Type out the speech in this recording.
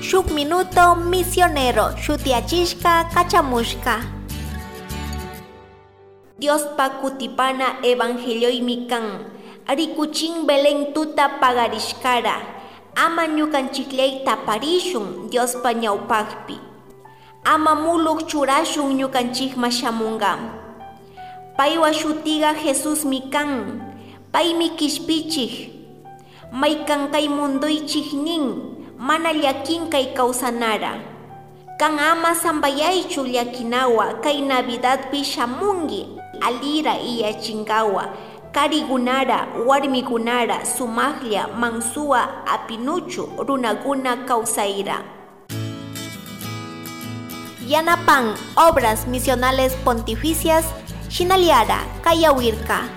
Shuk Minuto Misionero shutiyachishka kachamushka. Diospa kutipana evangeliomi kan. Rikuchin Belén tuta pagarishkara. Ama ñukanchikllay taparishun Diospa ñawpakpi. Ama muluk churashun ñukanchikma shamunga. Paywa shutiga Jesusmi kan. Paymi kishpichik. Maykan kay mundoychik nin, mana llakin kay kawsanara. Kan ama sambayaychu llakinawa kay Navidadpi shamungi alira iyachinkawa. Karigunara, warmigunara, sumaqlla, mansuwa apinuchu runaguna kawsayra. Yanapan Obras Misionales Pontificias, Shinaliara, Kayawirka.